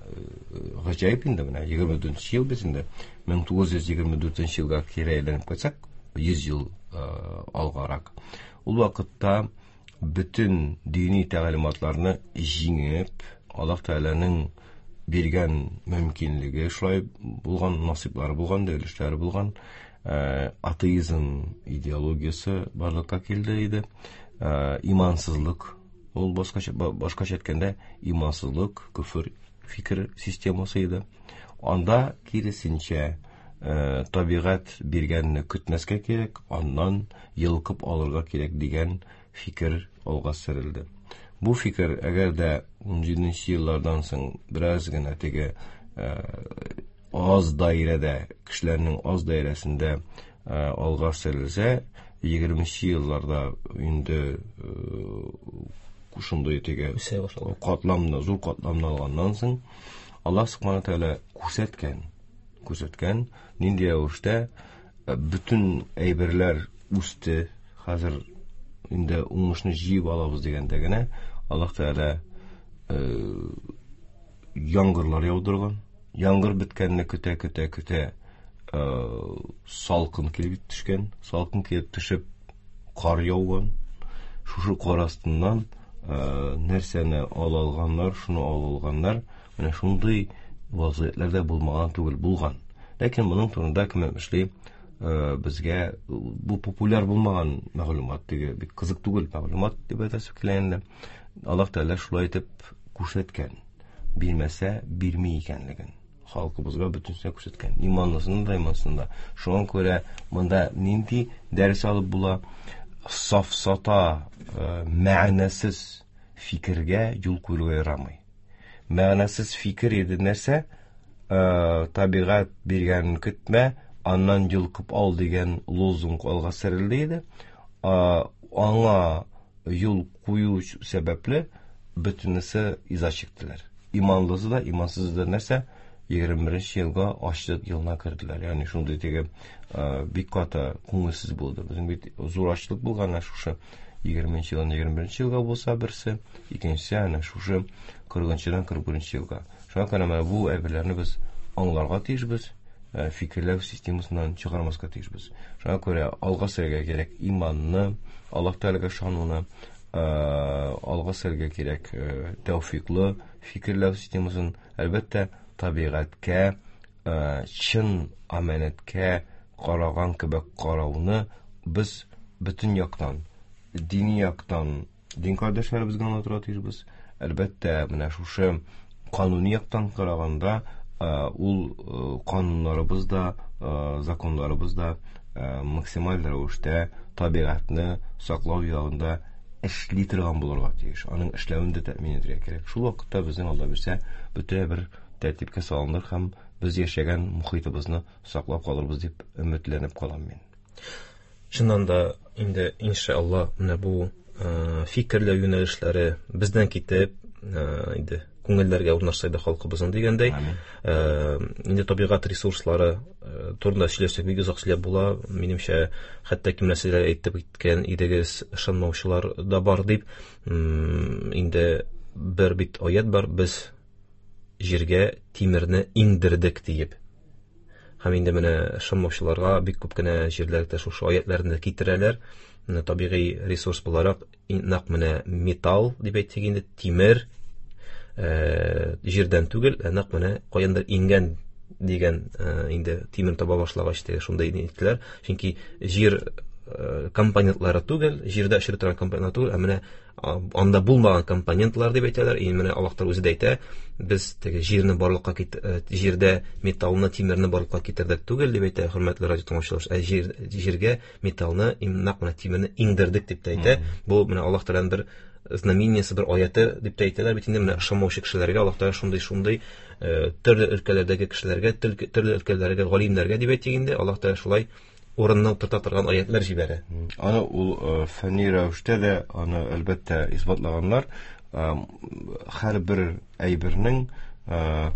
гаҗәеп инде, менә егерме дүртенче ел бит инде, мең тугыз йөз егерме дүртенче елга кире әйләнеп кайтсак, йөз ел алгарак. Ул вакытта бөтен дини тәгълиматларны җиңеп, Аллаһ Тәгаләнең биргән мөмкинлеге шулай булган, насыйплары булган, өлешләре булган, атеизм идеологиясе барлыкка килде иде. Имансызлык, ул башкача, башкача әйткәндә, имансызлык, күфер фикер системасы иде. Анда киресенчә, табигать биргәнне көтмәскә кирәк, аннан йолкып алырга кирәк дигән фикер алга сөрелде. Бу фикер, әгәр дә ун җиденче еллардан соң бераз гына теге аз даирәдә, кешеләрнең аз даирәсендә алга сөрелсә, егерменче елларда инде шундый теге катламны, зур катламны алганнан соң, Аллаһ Субхана Тәгалә күрсәткән, күрсәткән, нинди рәвештә бөтен әйберләр үсте, хәзер инде уңышны җыеп алабыз дигәндә генә Аллаһ Тәгалә яңгырлар яудырган. Яңгыр беткәнне көтә көтә көтә салкын килеп төшкән, салкын килеп төшеп кар яуган. Шушы кар астыннан нәрсәне ала алганнар, шуны ала алганнар. Менә шундый вазгыятьләр дә булмаган түгел, булган. Ләкин моның турында кем эшли, безгә бу популяр булмаган мәгълүмат, теге бик кызык түгел мәгълүмат дип әйтәсе килә инде. Аллаһ Тәгалә шулай итеп күрсәткән, бирмәсә бирми икәнлеген халкыбызга бөтенесенә күрсәткән, иманлысына да, имансызына да. Шуңа күрә монда нинди дәрес алып була? Сафсата, мәгънәсез фикергә юл куярга ярамый. Мәгънәсез фикер иде нәрсә? Табигать биргәнен көтмә, аннан йолкып ал дигән лозунг алга сөрелде иде. Аңа юл кую сәбәпле бөтенесе иза чиктеләр. Иманлысы да, имансызы да нәрсә? егерме беренче елга ачлык елына керделәр. Ягъни шундый теге бик каты күңелсез булды. Безнең бит зур ачлык булган, шушы егерменче елдан егерме беренче елга булса берсе, икенчесе әнә шушы кырыгынчыдан кырык беренче елга. Шуңа күрә менә бу әйберләрне без аңларга тиешбез, фикерләү системасыннан чыгармаска тиешбез. Шуңа күрә алга сөрергә кирәк иманны, Аллаһ Тәгаләгә ышануны, алга сөрергә кирәк тәүфиклы фикерләү системасын, әлбәттә, табигатькә, чын аманәткә караган кебек карауны без бөтен яктан, дини яктан дин кардәшләребезгә аңлатырга тиешбез. Әлбәттә, менә шушы кануни яктан караганда, ул кануннарыбыз да, законнарыбыз да максималь рәвештә табигатьне саклау ягында эшли торган булырга тиеш. Аның эшләвен дә тәэмин итәргә кирәк. Шул вакытта безнең Алла бирсә, бөтен бер тәртипкә салыныр һәм без яшәгән мохитыбызны саклап калырбыз дип өметләнеп калам мин. Чыннан да инде иншалла менә бу фикерләү юнәлешләре бездән китеп, инде күңелләргә урнашса иде халкыбызның дигәндәй, инде табигать ресурслары турында сөйләсәк бик озак сөйләп була. Минемчә, хәтта кем нәрсәләр әйтеп киткән идегез, ышанмаучылар да бар дип. Инде бер бит аят бар, без җиргә тимерне иңдердек диеп. Һәм инде менә ышанмаучыларга бик күп кенә җирләрдә шушы аятларны китерәләр. Менә табигый ресурс буларак нәкъ менә металл дип әйтсәк инде, тимер җирдән түгел, ә нәкъ менә каяндыр иңгән дигән, инде тимер таба башлагач теге шундый әйттеләр. Чөнки җир компонентлары түгел, җирдә эшли торган компонентлар түгел, ә менә анда булмаган компонентлар дип әйтәләр. И менә Аллаһ Тәгалә үзе дә әйтә, без теге җирне барлыкка кит, җирдә металлны, тимерне барлыкка китердек түгел дип әйтә, хөрмәтле радио тыңлаучылар. Ә җир, җиргә металлны, нәкъ менә тимерне иңдердек дип тә әйтә. Бу менә Аллаһ Тәгаләнең бер знамениясе, бер аяты дип тә әйтәләр бит инде. Менә ышанмаучы кешеләргә Аллаһ Тәгалә шундый-шундый төрле өлкәләрдәге кешеләргә, төрле өлкәләрдәге галимнәргә дип әйтик инде, Аллаһ Тәгалә шулай урынына утырта торган аятлар җибәрә. Аны ул фәнни рәвештә дә аны әлбәттә исбатлаганнар. Һәрбер әйбернең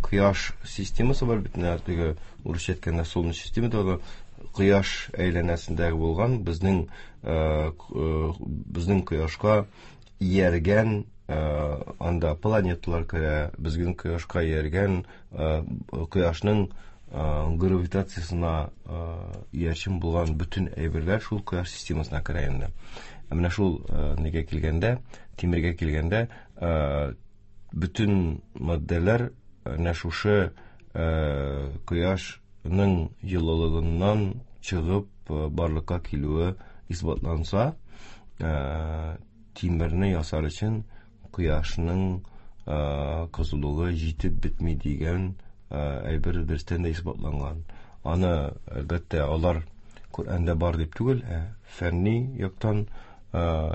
кояш системасы бар бит, теге урысча әйткәндә солнечная система да, кояш әйләнәсендәге булган безнең безнең кояшка ияргән анда планеталар керә, безнең кояшка ияргән кояшның гравитациясына иярчен булган бөтен әйберләр шул кояш системасына керә инде. Ә менә шул нигә килгәндә, тимергә килгәндә, бөтен матдәләр менә шушы кояшның җылылыгыннан чыгып барлыкка килүе исбатланса, тимерне ясар өчен кояшның кызулыгы җитеп бетми дигән әйбер дөрестән дә исбатланган. Аны әлбәттә алар Коръәндә бар дип түгел, ә фәнни яктан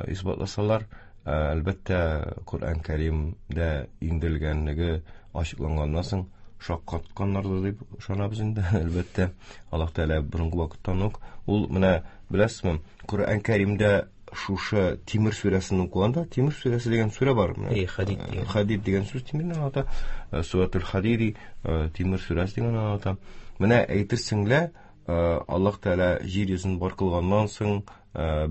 исбатласалар, әлбәттә Коръән Кәримдә иңдерелгәнлеге ачыкланганнан соң шаккатканнардыр дип ышанабыз инде. Әлбәттә, Аллаһ Тәгалә борынгы вакыттан ук ул менә беләсезме, Коръән Кәримдә шушы Тимер сүрәсен укыганда, Тимер сүрәсе дигән сүрә бар. Э, Хадид дигән. Хадид дигән сүз тимерне аңлата. Сүрәтул Хадиди, Тимер сүрәсе дигән аңлата. Менә әйтерсең лә, Аллаһ Тәгалә җир йөзен бар кылганнан соң,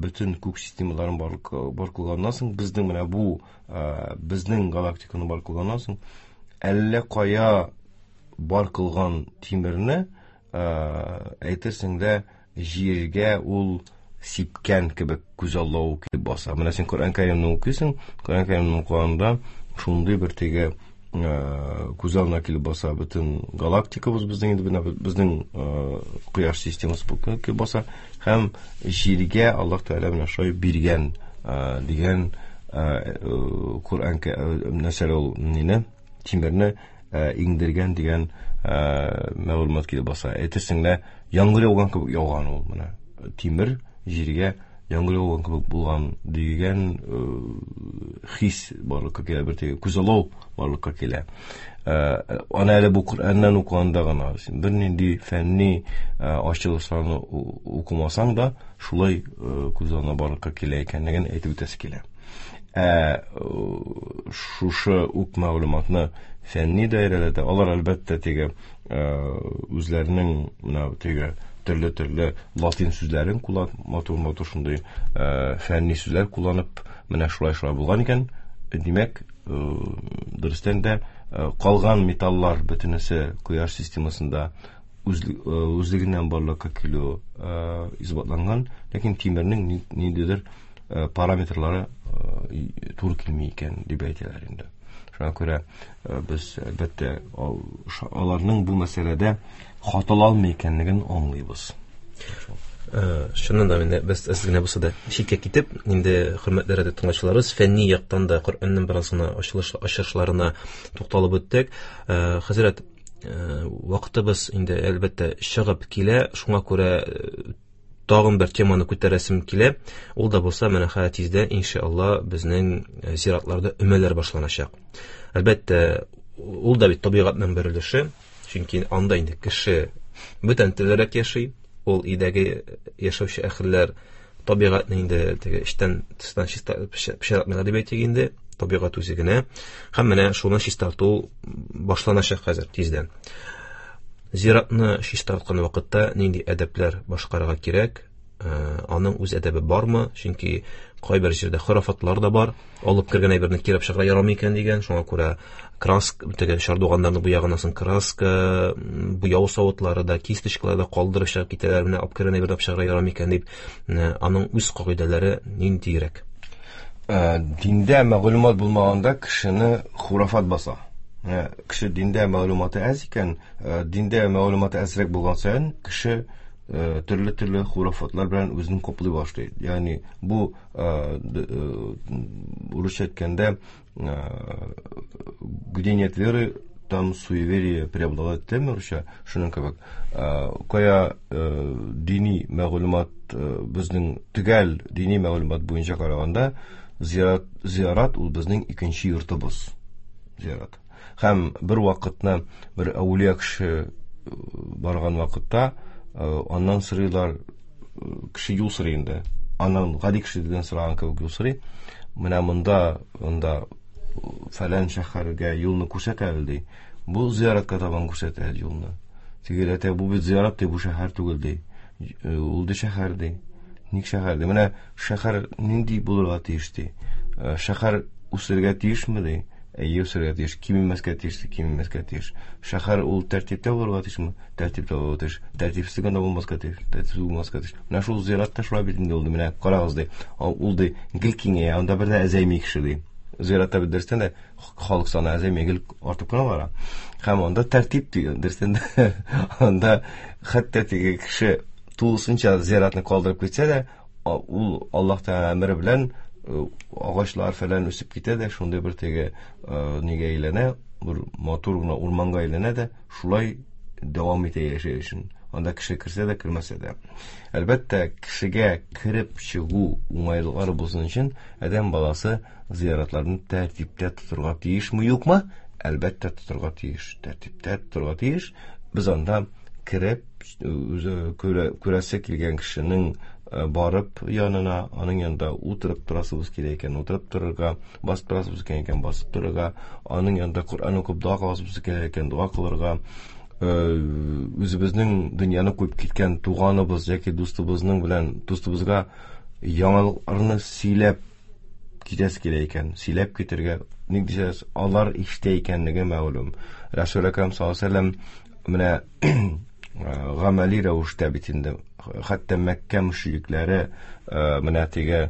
бөтен күк системаларын бар, бар кылганнан соң, безнең менә бу безнең галактиканы бар кылганнан соң, әллә кая бар кылган тимерне әйтерсең дә җиргә ул сипкән кебек күзаллау килеп баса. Менә син Коръән Кәримне укыйсың, Коръән Кәримне укыганда шундый бер теге күз алдына килеп баса бөтен галактикабыз безнең инде менә безнең кояш системасы килеп баса һәм җиргә Аллаһ Тәгалә менә шулай биргән дигән Коръән нәрсә ул нине тимерне иңдергән дигән мәгълүмат килеп баса. Әйтерсең лә яңгыр яуган кебек яуган ул менә тимер җиргә яңгыр яуган кебек булган дигән хис барлыкка килә, бер теге күзаллау барлыкка килә. Аны әле бу Коръәннән укыганда гына син бернинди фәнни ачылышларны укымасаң да шулай күз алдына барлыкка килә икәнлеген әйтеп үтәсе килә. Ә шушы ук мәгълүматны фәнни даирәләрдә алар әлбәттә теге үзләренең менә теге төрле-төрле латин сүзләрен кулланып, матур-матур шундый фәнни сүзләр кулланып, менә шулай-шулай булган икән. Димәк, дөрестән дә калган металлар бөтенесе кояш системасында үзлегеннән барлыкка килү исбатланган, ләкин тимернең ниндидер параметрлары туры килми икән дип әйтәләр инде. Шуңа күрә без әлбәттә аларның бу мәсьәләдә хаталанмый икәнлеген аңлыйбыз. Чыннан да инде без әз генә булса да читкә китеп, инде хөрмәтле радио тыңлаучыларыбыз, фәнни яктан да Коръәннең бераз гына ачылыш ачышларына тукталып үттек. Хәзрәт, вакытыбыз инде әлбәттә чыгып килә, шуңа күрә тагын бер теманы күтәрәсем килә. Ул да булса менә хәзер тиздән иншалла безнең зиратларда өмәләр башланачак. Әлбәттә, ул да бит табигатьнең бер өлеше, чөнки анда инде кеше бүтән төрлерәк яши, ул өйдәге яшәүче әһелләр табигатьне инде теге эчтән тыштан чиста пычратмыйлар дип әйтик инде, табигать үзе генә. Һәм менә шуны чистарту башланачак хәзер тиздән. Зиратны чистарткан вакытта нинди әдәпләр башкарырга кирәк? Аның үз әдәбе бармы? Чөнки кайбер җирдә хорафатлар да бар. Алып кергән әйберне кирәп чыгарга ярамый икән дигән. Шуңа күрә краска, теге чардуганнарны буяганнан соң краска, буяу савытлары да, кисточкалар да калдырып чыгып китәләр. Менә алып кергән әйберне алып чыгарга ярамый икән дип, аның үз кагыйдәләре ниндирәк? Диндә мәгълүмат булмаганда кешене хурафат баса. Кеше диндә мәгълүматы әз икән, диндә мәгълүматы әзрәк булган саен кеше төрле-төрле хурафатлар белән үзен каплый башлый. Ягъни бу урысча әйткәндә, где нет веры, там суеверие преобладает диләр урысча, шуның кебек. Кая дини мәгълүмат безнең төгәл дини мәгълүмат буенча караганда, зират, зират ул безнең икенче йортыбыз. Зират. Һәм бер вакытны бер әүлия кеше барган вакытта аннан сорыйлар, кеше юл сорый инде. Аннан гади кешедән сораган кебек юл сорый. Менә монда, монда фәлән шәһәргә юлны күрсәтә әле ди. Бу зияратка табан күрсәтә әле юлны. Тегеләр әйтә, бу бит зиярат ди, бу шәһәр түгел ди. Ул ди шәһәр ди. Ник шәһәр ди? Менә шәһәр нинди булырга тиеш ди? Шәһәр үсергә тиешме ди? Әйе, үсергә тиеш, кимемәскә тиеш, кимемәскә тиеш. Шәһәр ул тәртиптә булырга тиешме? Тәртиптә булырга тиеш. Тәртипсез генә булмаска тиеш, тәртипсез булмаска тиеш. Менә шул зиратта шулай бит инде ул, менә карагыз ди. Ул ди гел киңәя, анда бер дә әзәйми кеше ди. Зиратта бит дөрестән дә халык саны әзәйми, гел артып кына бара. Һәм анда тәртип ди, дөрестән дә анда хәтта теге кеше тулысынча зиратны калдырып китсә дә, ул Аллаһ Тәгалә әмере белән агачлар фәлән үсеп китә дә, шундый бер теге нигә әйләнә, бер матур гына урманга әйләнә дә, шулай дәвам итә яшәү өчен. Анда кеше керсә дә, кермәсә дә. Әлбәттә, кешегә кереп чыгу уңайлыклары булсын өчен адәм баласы зияратларны тәртиптә тотырга тиешме, юкмы? Әлбәттә, тотырга тиеш. Тәртиптә тотырга тиеш. Без анда кереп, үзе күрәсе килгән кешенең барып янына, аның янында утырып торасыбыз килә икән, утырып торырга, басып торасыбыз килә икән, басып торырга, аның янында Коръән укып дога кыласыбыз килә икән, дога кылырга, үзебезнең дөньяны куеп киткән туганыбыз яки дустыбызның белән дустыбызга яңалыкларны сөйләп китәсе килә икән, сөйләп китергә, ник дисәгез, алар ишетә икәнлеге мәгълүм. Расул Әкрәм саллаллаһу алейһи ва сәлләм менә гамәли рәвештә бит инде, хәтта Мәккә мөшрикләре менә теге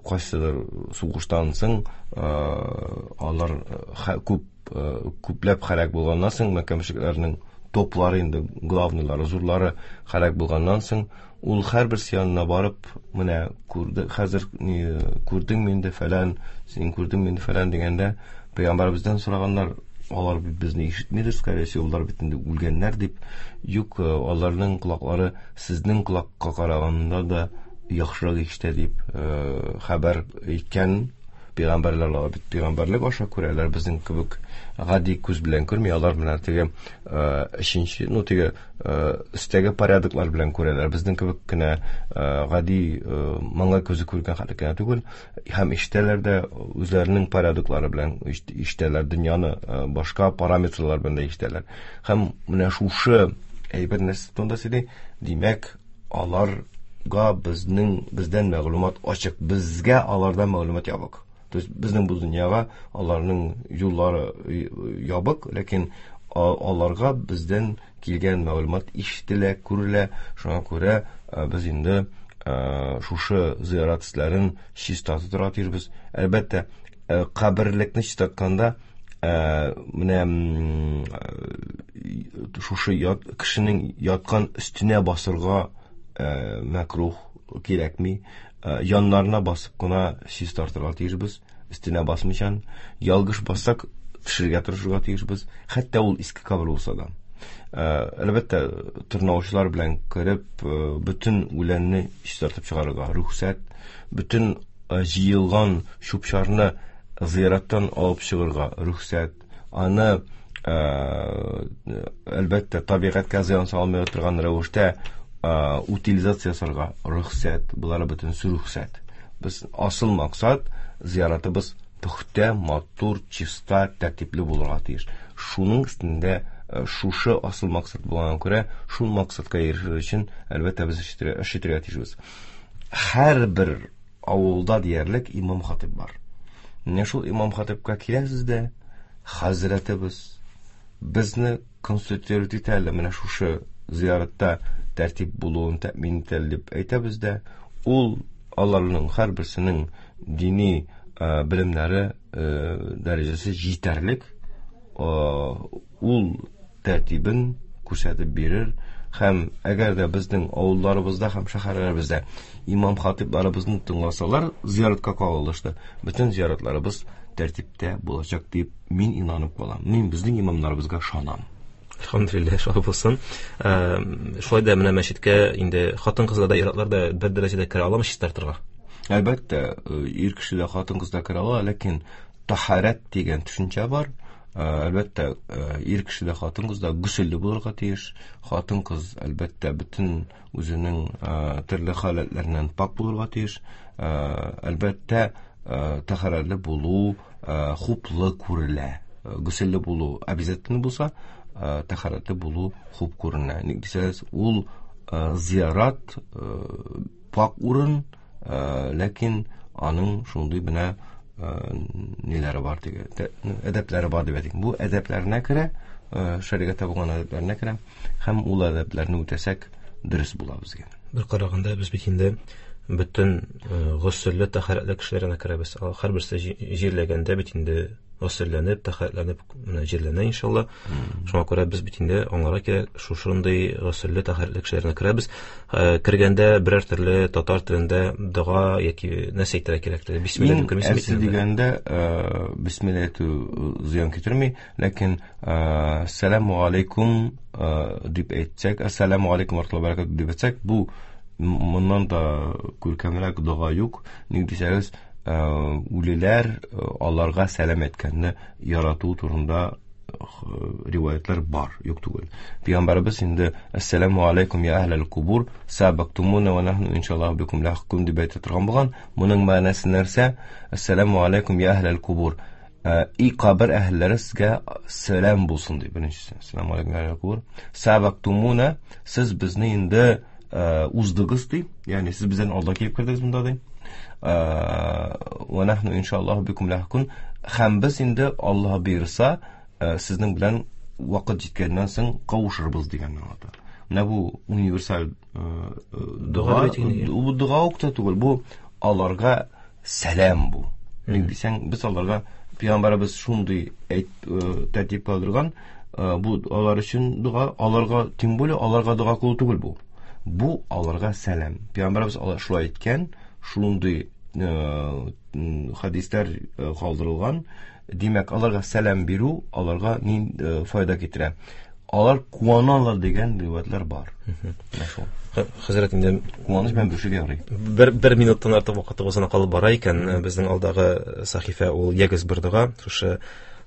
кайсыдыр сугыштан соң алар күп күпләп һәлак булганнан соң, Мәккә мөшрикләренең топлары инде, главныйлары, зурлары һәлак булганнан соң, ул һәрберсе янына барып, менә күрде, хәзер күрдеңме инде фәлән, син күрдеңме инде фәлән дигәндә, пәйгамбәребездән сораганнар, алар бит безне ишетмидер, скорее всего, алар бит инде үлгәннәр дип. Юк, аларның колаклары сезнең колакка караганда да яхшырак ишетә дип хәбәр иткән. Пәйгамбәрләр алар бит пәйгамбәрлек аша күрәләр, безнең кебек гади күз белән күрми, алар менә теге өченче, ну теге өстәге порядоклар белән күрәләр, безнең кебек кенә гади маңгай күзе күргән хәллек кенә түгел, һәм ишетәләр дә үзләренең порядоклары белән ишетәләр, дөньяны башка параметрлар белән дә ишетәләр. Һәм менә шушы әйбер нәрсә турында сөйли, димәк, аларга безнең, бездән мәгълүмат ачык, безгә алардан мәгълүмат ябык. То есть безнең бу дөньяга аларның юллары ябык, ләкин аларга бездән килгән мәгълүмат ишетелә, күрелә. Шуңа күрә без инде шушы зыярат эшләрен чиста тотарга тиешбез. Әлбәттә, каберлекне чистартканда, менә шушы кешенең яткан өстенә басырга мәкрух кирәкми. Яннарына басып кына чистартырга тиешбез, өстенә басмыйчан. Ялгыш бассак, төшерергә тырышырга тиешбез, хәтта ул иске кабер булса да. Әлбәттә, тырнаучылар белән кереп, бөтен үләнне чистартып чыгарырга рөхсәт, бөтен җыелган чүп-чарны зыяраттан алып чыгарга рөхсәт, аны әлбәттә табигатькә зыян салмый торган рәвештә утилизация ясарга рөхсәт, болары бөтенесе рөхсәт. Без асыл максат зыяратыбыз пөхтә, матур, чиста, тәртипле булырга тиеш. Шуның өстендә шушы асыл максат булганга күрә, шул максатка ирешер өчен әлбәттә без эш итәргә тиешбез. Һәрбер авылда диярлек имам хатип бар. Менә шул имам хатипка киләсез дә, хәзрәтебез безне консультировать итә әле, менә шушы зыяратта тәртип булуын тәэмин итә дип әйтәбез дә, ул аларның һәрберсенең дини белемнәре дәрәҗәсе җитәрлек, ул тәртибен күрсәтеп бирер. Һәм әгәр дә безнең авылларыбызда һәм шәһәрләребездә имам хатипларыбызны тыңласалар, зыяратка кагылышты, бөтен зыяратларыбыз тәртиптә булачак дип мин инанып калам. Мин безнең имамнарыбызга ышанам. Әлхәмдүлилләһ, шулай булсын. Шулай да менә мәчеткә инде хатын-кызлар да, ир-атлар да бер дәрәҗәдә керә аламы чистартырга? Әлбәттә, ир кеше дә, хатын-кыз да керә ала, ләкин тахарәт дигән төшенчә бар. Әлбәттә, ир кеше дә, хатын-кыз да гөселле булырга тиеш. Хатын-кыз әлбәттә бөтен үзенең төрле халәтләреннән пак булырга тиеш. Әлбәттә, тахарәтле булу хуплы күрелә. Гөселле булу обязательно булса, тахарәтле булу хуп күренә. Ник дисәгез, ул зиярат пак урын, ләкин аның шундый менә ниләре бар диге, әдәпләре бар дип әйтик. Бу әдәпләренә керә, шәригатьтә булган әдәпләренә керә, һәм ул әдәпләрне үтәсәк дөрес була безгә. Бер караганда без бит инде бөтен госөлле, тәһарәтле кешеләренә керәбез. Һәрберсе җирләгәндә бит инде госөлләнеп, тәһарәтләнеп менә җирләнә иншалла. Шуңа күрә без бит инде аңларга кирәк, шушындый госөлле, тәһарәтле кешеләренә керәбез. Кергәндә берәр төрле татар телендә дога яки нәрсә әйтергә кирәк? Бисмилла дип кермисең бит инде. Дигәндә бисмилла әйтү зыян китерми, ләкин ассаламу алейкум дип әйтсәк, ассаламу алейкум ва рахматуллаһи ва баракатуһ дип әйтсәк, бу моннан да күркәмрәк дога юк. Ник дисәгез, үлеләр аларга сәлам әйткәнне ярату турында риваятлар бар, юк түгел. Пәйгамбәребез инде ассаламу алейкум я әһләл кубур сабактумуна ва нахну иншаллаһу бикум лахикун дип әйтә торган булган. Моның мәгънәсе нәрсә? Ассаламу алейкум я әһләл кубур. И кабер әһелләре сезгә сәлам булсын ди беренчесе. Ассаламу алейкум әһлел кубур. Сабактумуна, сез безне инде уздыгыз ди. Ягъни сез бездән алда килеп кердегез монда ди. Ва нахну иншаллаһу бикум лахикун. Һәм без инде Аллаһ бирса, сезнең белән вакыт җиткәннән соң кавышырбыз дигәнне аңлата. Менә бу универсаль дога, бу дога ук та түгел, бу аларга сәлам бу. Ник дисәң, без аларга пәйгамбәребез шундый әйт тәртип калдырган, бу алар өчен дога, аларга тем более аларга дога кылу түгел бу. Бу аларга сәлам. Пәйгамбәребез алар шулай әйткән, шундый хадисләр калдырылган. Димәк, аларга сәлам бирү аларга ни файда китерә? Алар куаналар дигән риваятлар бар. Менә шул. Хәзрәт, инде куаныч белән бөшергә ярый. Бер, бер минуттан артык вакытыбыз гына калып бара икән. Безнең алдагы сәхифә ул ягез бер дога. Шушы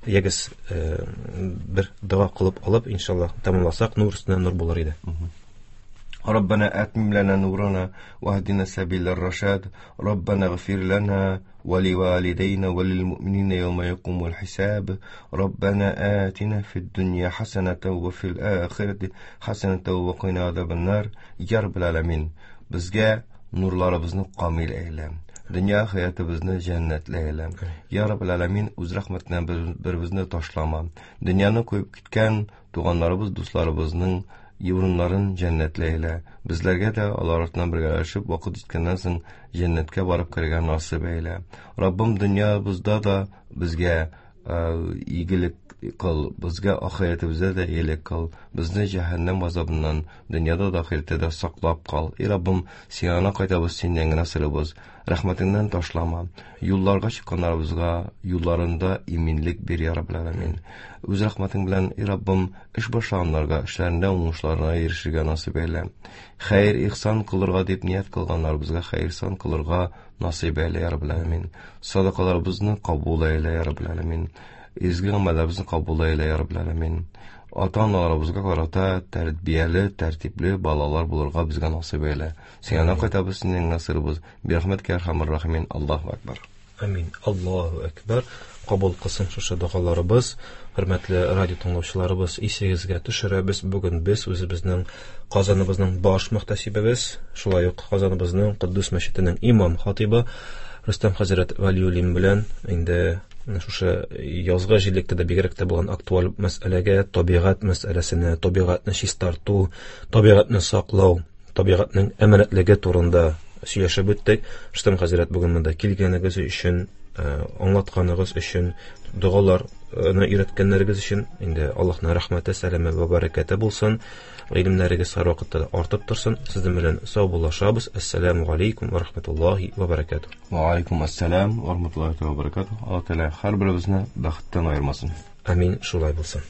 ягез бер дога кылып алып, иншаллаһ, тәмамласак, нур өстенә нур булыр иде. ربنا أتمم لنا نورنا واهدنا سبيل الرشاد ربنا اغفر لنا ولوالدينا وللمؤمنين يوم يقوم الحساب ربنا آتنا في الدنيا حسنة وفي الآخرة حسنة وقنا عذاب النار يا رب العالمين. Bizga nurlarimizni komil ayla, dunyo hayotimizni jannatli ayla. Ya Rabbul Alamin, o'z rahmatidan bir-bizni tashlama. Dunyoni qo'yib ketgan tug'anlarimiz, do'stlarimizning урыннарын җәннәтле әйлә. Безләргә дә алар артыннан бергәләшеп вакыт җиткәннән соң җәннәткә барып керергә насыйп әйлә. Раббым, дөньябызда да безгә игелек кыл, безгә ахирәтебездә дә игелек кыл. Безне җәһәннәм газабыннан дөньяда да ахирәттә дә саклап кал. Эй Раббым, сиңа кайтабыз, синнән генә сорыйбыз. Рәхмәтеңнән ташлама. Юлларга чыкканнарыбызга юлларында иминлек бир, я Раббил Аламин. Үз рәхмәтең белән, эй Раббым, эш башлаганнарга эшләрендә уңышларына ирешергә насыйп әйлә. Хәер ихсан кылырга дип ният кылганнарыбызга хәер ихсан кылырга насыйп әйлә, я Раббил Аламин. Садакаларыбызны кабул әйлә, я Раббил Аламин. Изге гамәлләребезне кабул әйлә, я Раббил Аламин. Ата-аналарыбызга карата тәрбияле, тәртипле балалар булырга безгә насыйп әйлә. Сиңа кайтабыз, синең насырыбыз. Бирәхмәткә әрхәмәр рахимин. Аллаһу акбар. Амин. Аллаһу акбар. Кабул кылсын шушы догаларыбыз. Хөрмәтле радио тыңлаучыларыбыз, исегезгә төшерәбез. Бүген без үзебезнең Казаныбызның баш мөхтәсибебез, шулай ук Казаныбызның Куддус мәчетенең имам хатибы Рөстәм хәзрәт Вәлиуллин белән инде шушы язгы җирлектә дә бигрәк тә булган актуаль мәсьәләгә, табигать мәсьәләсенә, табигатьне чистарту, табигатьне саклау, табигатьнең әманәтлеге турында сөйләшеп үттек. Рөстәм хәзрәт, бүген монда килгәнегез өчен, аңлатканыгыз өчен, догаларны өйрәткәннәрегез өчен инде Аллаһның рәхмәте, сәламе вә бәрәкәте булсын. Гыйлемнәрегез һәрвакытта да артып торсын. Сезнең белән саубуллашабыз. Ассаламу алейкум ва рахматуллаһи ва баракатуһ. Ва алейкум ассалам ва рахматуллаһи ва баракатуһ. Аллаһ Тәгалә һәрберебезне бәхеттән аермасын. Амин, шулай булсын.